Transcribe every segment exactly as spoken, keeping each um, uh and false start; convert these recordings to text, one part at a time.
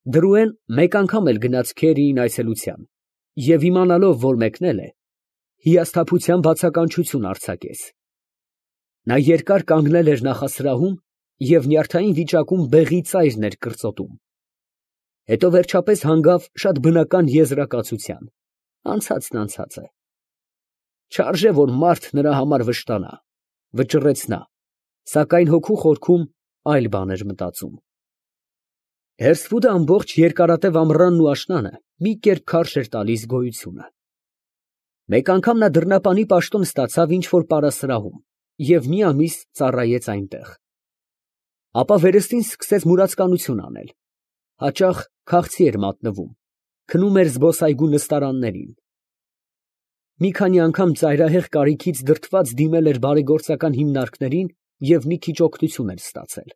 Դրուեն մեկ անգամ էլ գնաց Քերիին այցելության և իմանալով, որ մեկնել է, հիասթափության բացականչություն արձակեց. նա երկար կանգնել էր նախասրահում և նյարդային վիճակում բեղի ծայրն էր կրծոտում, հետո վերջապես հանգավ շատ բնական եզրակացության. անցածն անցած է, չարժե, որ մարդ նրա համար վշտանա, վճռեց նա, սակայն հոգու խորքում այլ բան էր մտածում։ Հերսվուդը ամբողջ երկարատև ամռանն ու աշնանը մի կերպ քարշ էր տալիս գոյությունը։ Մեկ անգամ նա դռնապանի պաշտոն ստացավ ինչ֊որ պարասրահում և մի ամիս ծառայեց այնտեղ։ Ապա վերստին սկսեց մուրացկանություն անել, հաճախ քաղցի էր մատնվում, քնում էր զբոսայգու նստարաններին։ Մի քանի անգամ ծայրահեղ կարիքից դրդված դիմել էր բարեգործական հիմնարկներին և մի քիչ օգնություն էր ստացել։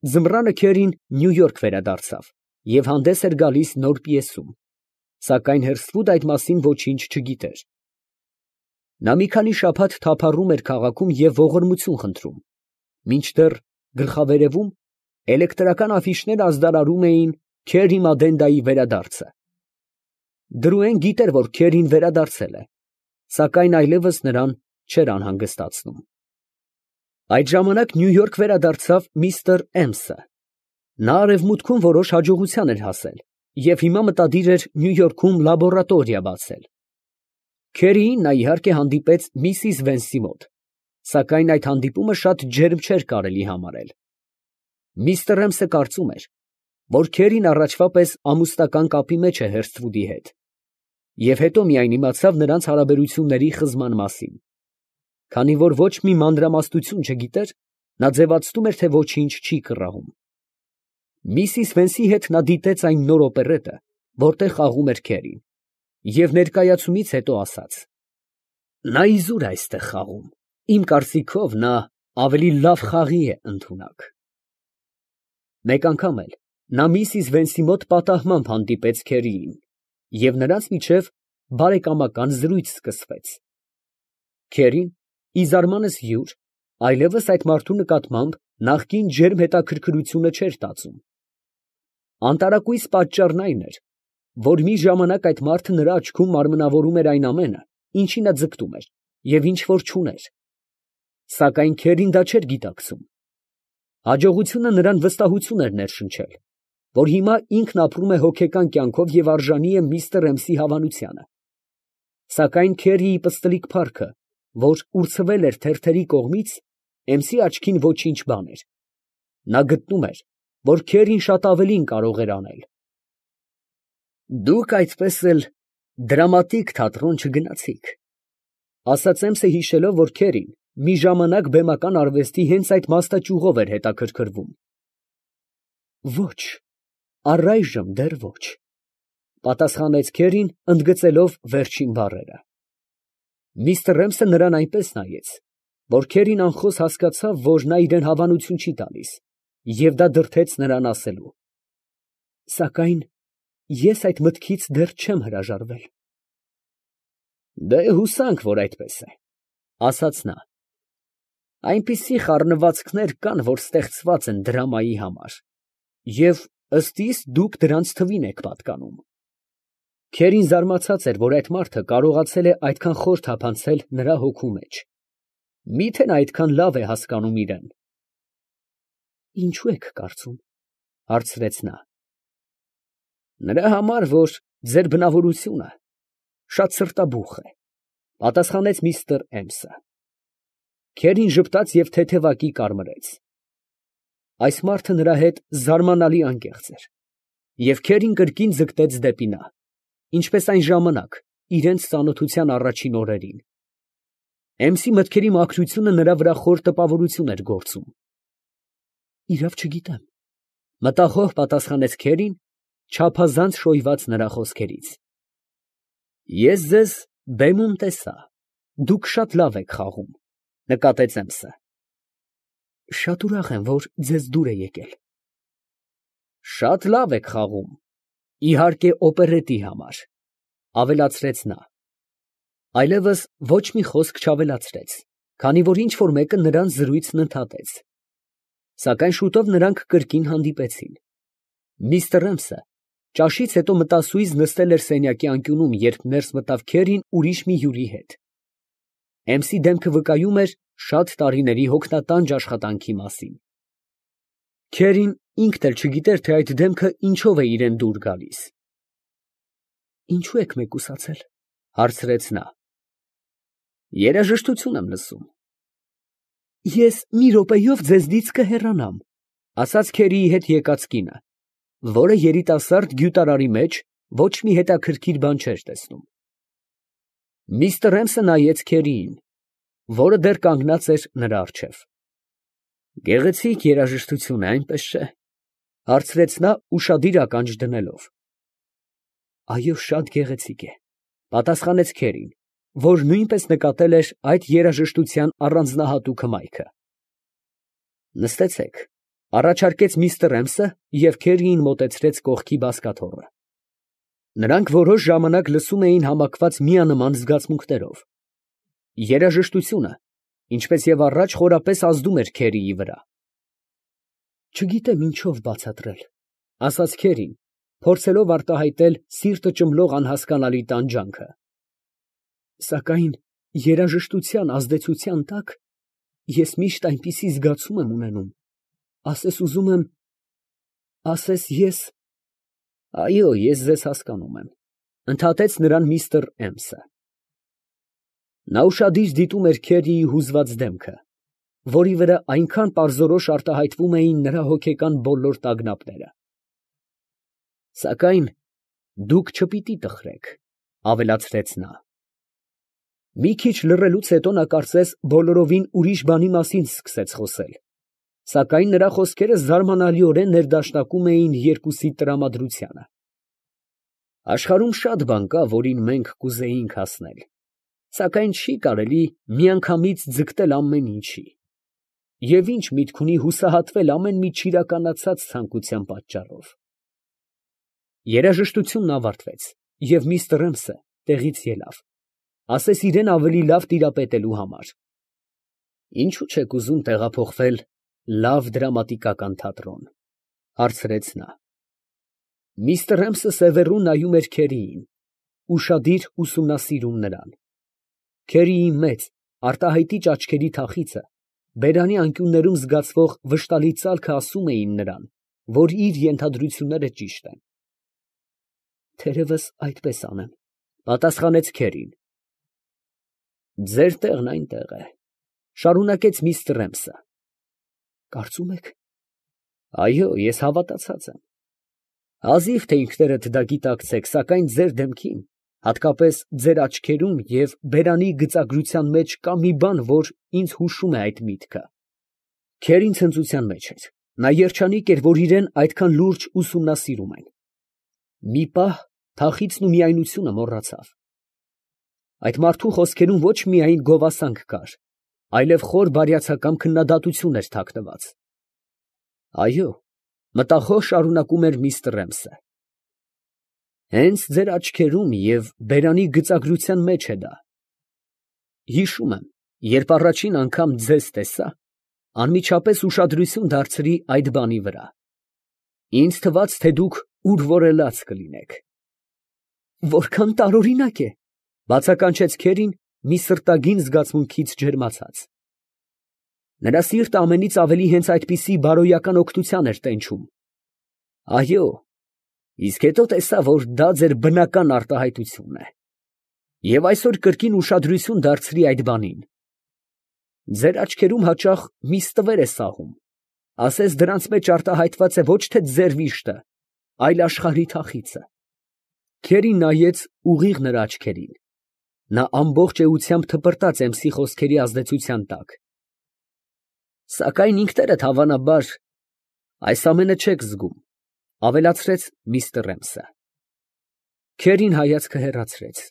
Ձմռանը Քերին Նյու Յորք վերադարձավ և հանդես էր գալիս նոր պիեսում, սակայն Հերսվուդը այդ մասին ոչինչ չգիտեր։ Նա մի քանի շաբաթ թափառում էր քաղաքում և ողորմություն խնդրում, մինչդեռ գլխավերևում էլեկտրական աֆիշներ ազդարարում էին Քերի Մադենդայի վերադարձը։ Դրուեն գիտեր, որ Քերին վերադարձել է, սակայն այլևս նրան չէր անհանգստացնում։ Այդ ժամանակ Նյու Յորք վերադարձավ միստր Էմսը։ Նա արևմուտքում որոշ հաջողության էր հասել և հիմա մտադիր էր Նյու Յորքում լաբորատորիա բացել։ Քերիին նա իհարկե հանդիպեց միսիս Վենսի մոտ, սակայն այդ հանդիպումը շատ ջերմ չէր կարելի համարել։ Միստր Էմսը կարծում էր, որ Քերին առաջվա պես ամուսնական կապի մեջ է Հերսթվուդի հետ, և հետո միայն իմացավ նրանց հարաբերությունների խզման մասին։ Քանի որ ոչ մի մանրամասնություն չգիտեր, նա ձևացնում էր, թե ոչինչ չի կռահում։ Միսիս Վենսի հետ նա դիտեց այն նոր օպերետը, որտեղ խաղում էր Քերին, և ներկայացումից հետո ասաց. «Նա իզուր է այստեղ խաղում, իմ կարծիքով, նա ավելի լավ խաղի է ընդունակ»։ Մեկ անգամ էլ նա միսիս Վենսի մոտ պատահմամբ հանդիպեց Քերիին, և նրանց միջև բարեկամական զրույց սկսվեց։ Քերին, ի զարմանս յուր, այլևս այդ մարդու նկատմամբ նախկին ջերմ հետաքրքրությունը չէր տածում։ Անտարակույս պատճառն այն էր, որ մի ժամանակ այդ մարդը նրա աչքում մարմնավորում էր այն ամենը, ինչի նա ձգտում էր և ինչ որ չուներ։ Սակայն Քերին դա չէր գիտակցում։ Հաջողությունը նրան վստահություն էր ներշնչել, որ հիմա ինքն ապրում է հոգեկան կյանքով և արժանի է միստր Էմսի հավանությանը։ Սակայն Քերիի պստլիկ փառքը, որ ուրցվել էր թերթերի կողմից, Էմսի աչքին ոչինչ բան էր։ Նա գտնում էր, որ Քերին շատ ավելին կարող էր անել։ «Դուք այդպես էլ դրամատիկ թատրոն չգնացիք», ֊ ասաց Էմսը, հիշելով, որ Քերին մի ժամանակ բեմական արվեստի հենց այդ մասնաճյուղով էր հետաքրքրվում։ «Ոչ, առայժմ դեռ ոչ», ֊ պատասխանեց Քերին, ընդգծելով վերջին բառերը։ Միստր Էմսը նրան այնպես նայեց, որ Քերին անխոս հասկացավ, որ նա իրան հավանություն չի տալիս, և դա դրդեց նրան ասելու. «Սակայն ես այդ մտքից դեռ չեմ հրաժարվել»։ «Դե հուսանք, որ այդպես է», ֊ ասաց նա։ «Այնպիսի խառնվածքներ կան, որ ստեղծված են դրամայի համար, և ըստ իս դուք դրանց թվին եք պատկանում»։ Քերին զարմացած էր, որ այդ մարդը կարողացել է այդքան խոր թափանցել նրա հոգու մեջ։ Մի՞թե նա այդքան լավ է հասկանում իրան։ «Ինչո՞ւ եք կարծում», ֊ հարցրեց նա։ «Նրա համար, որ ձեր բնավորությունը շատ սրտաբուխ է», ֊ պատասխանեց միստր Էմսը։ Քերին ժպտաց և թեթևակի կարմրեց։ Այս մարդը նրա հետ զարմանալի անկեղծ էր, և Քերին կրկին ձգտեց դեպի նա, ինչպես այն ժամանակ, իրենց ծանոթության առաջին օրերին։ Էմսի մտքերի մաքրությունը նրա վրա խոր տպավորություն էր գործում։ «Իրավ չգիտեմ», ֊ մտախոհ պատասխանեց Քերին, չափազանց շոյված նրա խոսքերից։ «Ես ձեզ բեմում տեսա, դուք շատ լավ եք խաղում», ֊ նկատեց Էմսը։ «Շատ ուրախ եմ, որ ձեզ դուր է եկել»։ «Շատ լավ եք խաղում, իհարկե օպերետի համար», ֊ ավելացրեց նա։ Այլևս ոչ մի խոսք չավելացրեց, քանի որ ինչ֊որ մեկը նրանց զրույցն ընդհատեց։ Սակայն շուտով նրանք կրկին հանդիպեցին։ Միստր Էմսը ճաշից հետո մտասուից նստել էր սենյակի անկյունում, երբ ներս մտավ Քերին ուրիշ մի հյուրի հետ։ Էմսի դեմքը վկայում էր շատ տարիների հոգնատանջ աշխատանքի մասին։ Քերին ինքն էլ չգիտեր, թե այդ դեմքը ինչով է իրան դուր գալիս։ «Ինչու եք մեկուսացել», հարցրեց նա։ «Երաժշտություն եմ լսում»։ «Ես մի րոպեով ձեզնից կհեռանամ», ասաց Քերիի հետ եկած կինը, որը երիտասարդ գյուտարարի մեջ ոչ մի հետաքրքիր բան չէր տեսնում։ Միստր Էմսը նայեց Քերիին, որը դեռ կանգնած էր նրա առջև։ «Գեղեցիկ երաժշտություն է, այնպես չէ՞, հարցրեց նա ուշադիր ականջ դնելով։ «Այո, շատ գեղեցիկ է», պատասխանեց Քերին, որ նույնպես նկատել էր այդ երաժշտության առանձնահատուկ հմայքը։ «Նստեցեք», առաջարկեց միստր Էմսը և Քերիին մոտեցրեց կողքի բազկաթոռը։ Նրանք որոշ ժամանակ լսում էին համակված միանման զգացմունքներով։ Երաժշտությունը, ինչպես և առաջ, խորապես ազդում էր Քերիի վրա։ «Չգիտեմ ինչով բացատրել», ասաց Քերին, փորձելով արտահայտել սիրտը ճմլող անհասկանալի տանջանքը։ «Սակայն երաժշտության ազդեցության տակ ես միշտ այնպիսի զգացում եմ ունենում, ասես ուզում եմ, ասես ես…» «Այո, ես ձեզ հասկանում եմ», ընդհատեց նրան միստր Էմսը։ Նա ուշադիր դիտում էր Քերիի հուզված դեմքը, որի վրա այնքան պարզորոշ արտահայտվում էին նրա հոգեկան բոլոր տագնապները։ «Սակայն դուք չպիտի տխրեք», ավելացրեց նա։ Մի քիչ լռելուց հետո նա կարծես բոլորովին ուրիշ բանի մասին սկսեց խոսել, սակայն նրա խոսքերը զարմանալիորեն ներդաշնակում էին երկուսի տրամադրությանը։ «Աշխարհում շատ բան կա, որին մենք կուզեինք հասնել, սակայն չի կարելի միանգամից ձգտել ամեն ինչի, և ի՞նչ միտք ունի հուսահատվել ամեն մի չիրականացած ցանկության պատճառով»։ Երաժշտությունն ավարտվեց, և միստր Էմսը տեղից ելավ, ասես իրան ավելի լավ տիրապետելու համար։ «Ինչո՞ւ չեք ուզում տեղափոխվել լավ դրամատիկական թատրոն», հարցրեց նա։ Միստր Էմսը սևեռուն նայում էր Քերիին, ուշադիր ուսումնասիրում նրան։ Քերիի մեծ, արտահայտիչ աչքերի թախիծը, բերանի անկյուններում զգացվող վշտալի ծալքը ասում էին նրան, որ իր ենթադրությունները ճիշտ են։ «Թերևս այդպես անեմ», պատասխանեց Քերին։ «Ձեր տեղն այնտեղ է», շարունակեց միստր Էմսը։ «Կարծում եք»։ «Այո, ես հավատացած եմ։ Հազիվ թե ինքներդ դա գիտակցեք, սակայն ձեր դեմքին, հատկապես ձեր աչքերում և բերանի գծագրության մեջ կա մի բան, որ ինձ հուշում է այդ միտքը»։ Քերին ցնծության մեջ էր. նա երջանիկ էր, որ իրան այդքան լուրջ ուսումնասիրում են։ Մի պահ թախիծն ու միայնությունը մոռացավ։ Այդ մարդու խոսքերում ոչ միայն գովասանք կար, այլև խոր բարյացակամ քննադատություն էր թաքնված։ «Այո», մտախոհ շարունակում էր միստր Էմսը, «հենց ձեր աչքերում և բերանի գծագրության մեջ է դա։ Հիշում եմ, երբ առաջին անգամ ձեզ տեսա, անմիջապես ուշադրություն դարձրի այդ բանի վրա։ Ինձ թվաց, թե դուք ուրվորելաց կլինեք»։ «Որքան տարօրինակ է», բացականչեց Քերին մի սրտագին զգացմունքից ջերմացած։ Նրա սիրտը ամենից ավելի հենց այդպիսի բարոյական օգնության էր տենչում։ «Այո, իսկ հետո տեսա, որ դա ձեր բնական արտահայտությունն է, և այսօր կրկին ուշադրություն դարձրի այդ բանին։ Ձեր աչքերում հաճախ մի ստվեր է սահում, ասես դրանց մեջ արտահայտված է ոչ թե ձեր վիշտը, այլ աշխարհի թախիծը»։ Քերին նայեց ուղիղ նրա աչքերին։ Նա ամբողջ էությամբ թպրտաց Էմսի խոսքերի ազդեցության տակ։ «Սակայն ինքներդ, հավանաբար, այս ամենը չեք զգում», ավելացրեց միստր Էմսը։ Քերին հայացքը հեռացրեց։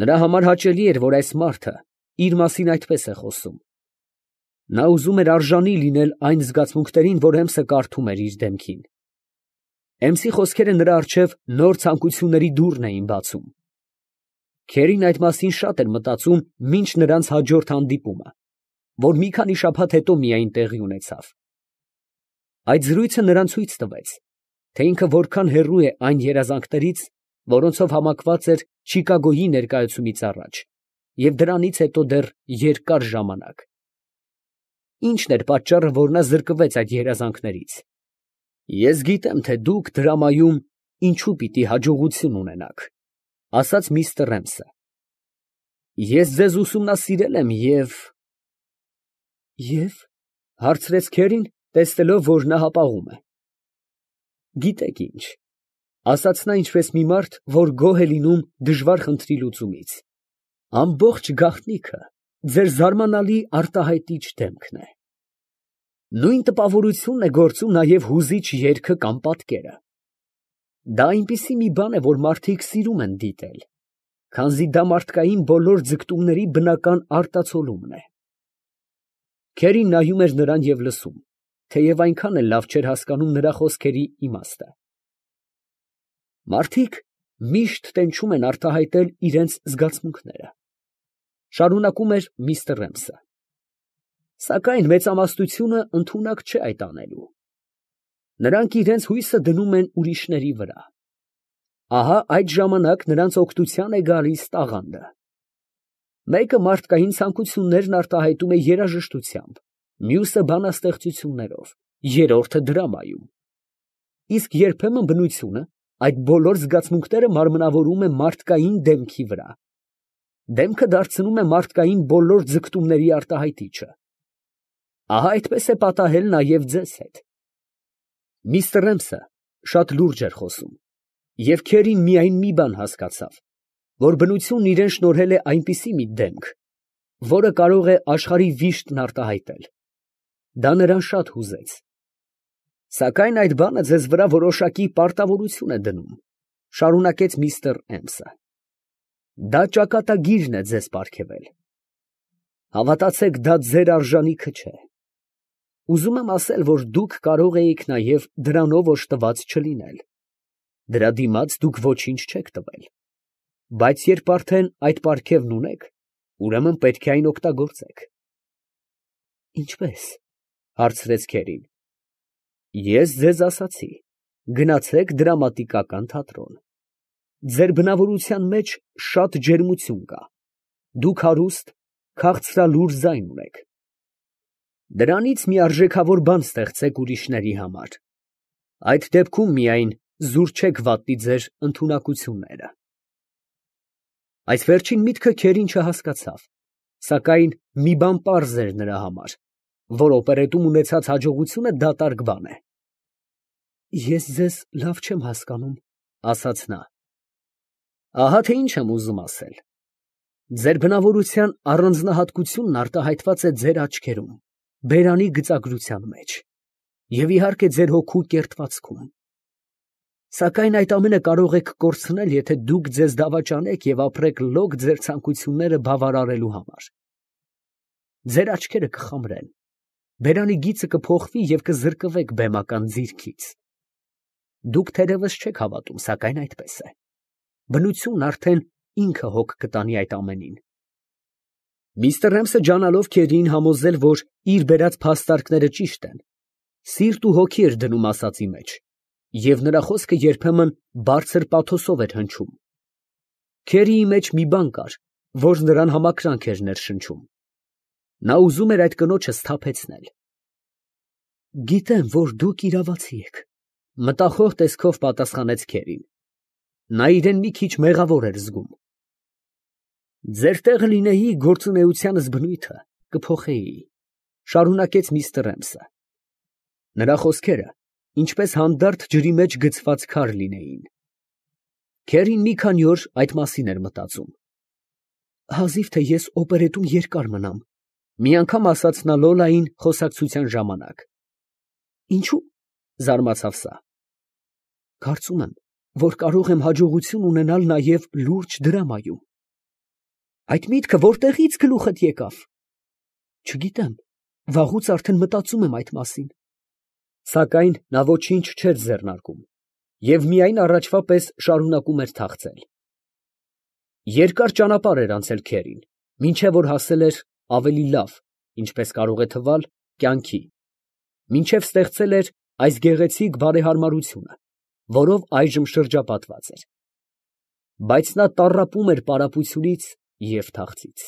Նրա համար հաճելի էր, որ այս մարդը իր մասին այդպես է խոսում։ Նա ուզում էր արժանի լինել այն զգացմունքներին, որ Էմսը կարդում էր իր դեմքին։ Էմսի խոսքերը նրա առջև նոր ցանկությունների դուռն էին բացում։ Քերին այդ մասին շատ էր մտածում մինչ նրանց հաջորդ հանդիպումը, որ մի քանի շաբաթ հետո միայն տեղի ունեցավ։ Այդ զրույցը նրան ցույց տվեց, թե ինքը որքան հեռու է այն երազանքներից, որոնցով համակված էր Չիկագոյի ներկայացումից առաջ, և դրանից հետո դեռ երկար ժամանակ։ Ի՞նչն էր պատճառը, որ նա զրկվեց այդ երազանքներից։ Ես գիտեմ, թե դուք դրամայում ինչու պիտի հաջողություն ունենաք, ֊ ասաց միստր Ռեմսը։ Ես ձեզ ուսումնասիրել եմ և… Ե՞վ, ֊ հարցրեց Քերին, տեսնելով, որ նա հապաղում է։ Գիտեք ինչ, ֊ ասաց նա ինչպես մի մարդ, որ գոհ է լինում դժվար խնդրի լուծումից, ամբողջ գաղտնիքը ձեր զարմանալի արտահայտիչ դեմքն է։ Նույն տպավորությունն է գործում նաև հուզիչ երգը կամ պատկերը։ Դա այնպիսի մի բան է, որ մարդիկ սիրում են դիտել, քանզի դա մարդկային բոլոր ձգտումների բնական արտացոլումն է։ Քերին նայում էր նրան և լսում, թեև այնքան էլ լավ չէր հասկանում նրա խոսքերի իմաստը։ Մարդիկ միշտ տենչում են արտահայտել իրենց զգացմունքները, ֊ շարունակում էր միստր Ռեմսը, սակայն մեծամասնությունը ընդունակ չէ այդ անելու։ Նրանք իրենց հույսը դնում են ուրիշների վրա։ Ահա այդ ժամանակ նրանց օգնության է գալիս տաղանդը։ Մեկը մարդկային ցանկություններն արտահայտում է երաժշտությամբ, մյուսը բանաստեղծություններով, երրորդը դրամայում։ Իսկ երբեմն բնությունը այդ բոլոր զգացմունքները մարմնավորում է մարդկային դեմքի վրա։ Դեմքը դարձնում է մարդկային բոլոր ձգտումների արտահայտիչը։ Ահա այդպես է պատահել նաև ձեզ հետ։ Միստր Ռեմսը շատ լուրջ էր խոսում, և Քերին միայն մի բան հասկացավ, որ բնությունն իրան շնորհել է այնպիսի մի դեմք, որը կարող է աշխարհի վիշտն արտահայտել։ Դա նրան շատ հուզեց։ Սակայն այդ բանը ձեզ վրա որոշակի պարտավորություն է դնում, ֊ շարունակեց միստր Էմսը։ Դա ճակատագիրն է ձեզ պարգևել։ Հավատացեք, դա ձեր արժանիքը չէ։ Ուզում եմ ասել, որ դուք կարող էիք նաև դրանով օժտված չլինել։ Դրա դիմաց դուք ոչինչ չեք տվել։ Բայց երբ արդեն այդ պարգևն ունեք, ուրեմն պետք է այն օգտագործեք։ Ինչպե՞ս, ֊ հարցրեց Քերին։ Ես ձեզ ասացի, գնացեք դրամատիկական թատրոն։ Ձեր բնավորության մեջ շատ ջերմություն կա, դուք հարուստ, քաղցրալուր ձայն ունեք։ Դրանից մի արժեքավոր բան ստեղծեք ուրիշների համար, այդ դեպքում միայն զուր չեք վատնի ձեր ընդունակությունները։ Այս վերջին միտքը Քերին չհասկացավ, սակայն մի բան պարզ էր նրա համար, որ օպերետում ունեցած հաջողությունը դատարկ բան է։ Ես ձեզ լավ չեմ հասկանում, ֊ ասաց նա։ Ահա թե ինչ եմ ուզում ասել։ Ձեր բնավորության առանձնահատկությունն արտահայտված է ձեր աչքերում, բերանի գծագրության մեջ և իհարկե ձեր հոգու կերտվածքում։ Սակայն այդ ամենը կարող եք կորցնել, եթե դուք ձեզ դավաճանեք և ապրեք լոկ ձեր ցանկությունները բավարարելու համար։ Ձեր աչքերը կխամրեն, բերանի գիծը կփոխվի և կզրկվեք բեմական ձիրքից։ Դուք թերևս չեք հավատում, սակայն այդպես է։ Բնությունն արդեն ինքը հոգ կտանի այդ ամենին։ Միստր Ռեմսը ջանալով Քերիին համոզել, որ իր բերած փաստարկները ճիշտ են, սիրտ ու հոգի էր դնում ասածի մեջ, և նրա խոսքը երբեմն բարձր պաթոսով էր հնչում։ Քերիի մեջ մի բան կար, որ նրան համակրանք էր ներշնչում։ Նա ուզում էր այդ կնոջը սթափեցնել։ Գիտեմ, որ դուք իրավացի եք, ֊ մտախոհ տեսքով պատասխանեց Քերին։ Նա իրեն մի քիչ մեղավոր էր զգում։ Ձեր տեղը լինեի, գործունեությանս բնույթը կփոխեի, ֊ շարունակեց միստր Ռեմսը։ Նրա խոսքերը ինչպես հանդարտ ջրի մեջ գցված քար լինեին։ Քերին մի քանի օր այդ մասին էր մտածում։ Հազիվ թե ես օպերետում երկար մնամ, ֊ մի անգամ ասաց նա Լոլային խոսակցության ժամանակ։ Ինչո՞ւ, ֊ զարմացավ սա։ Կարծում եմ, որ կարող եմ հաջողություն ունենալ նաև լուրջ դրամայում։ Այդ միտքը որտեղի՞ց գլուխդ եկավ։ Չգիտեմ, վաղուց արդեն մտածում եմ այդ մասին։ Սակայն նա ոչինչ չէր ձեռնարկում և միայն առաջվա պես շարունակում էր թախծել։ Երկար ճանապարհ էր անցել Քերին, մինչև որ հասել էր ավելի լավ, ինչպես կարող է թվալ, կյանքի, մինչև ստեղծել էր այս գեղեցիկ բարեհարմարությունը, որով այժմ շրջապատված էր, բայց նա տառապում էր պարապությունից և թախծից։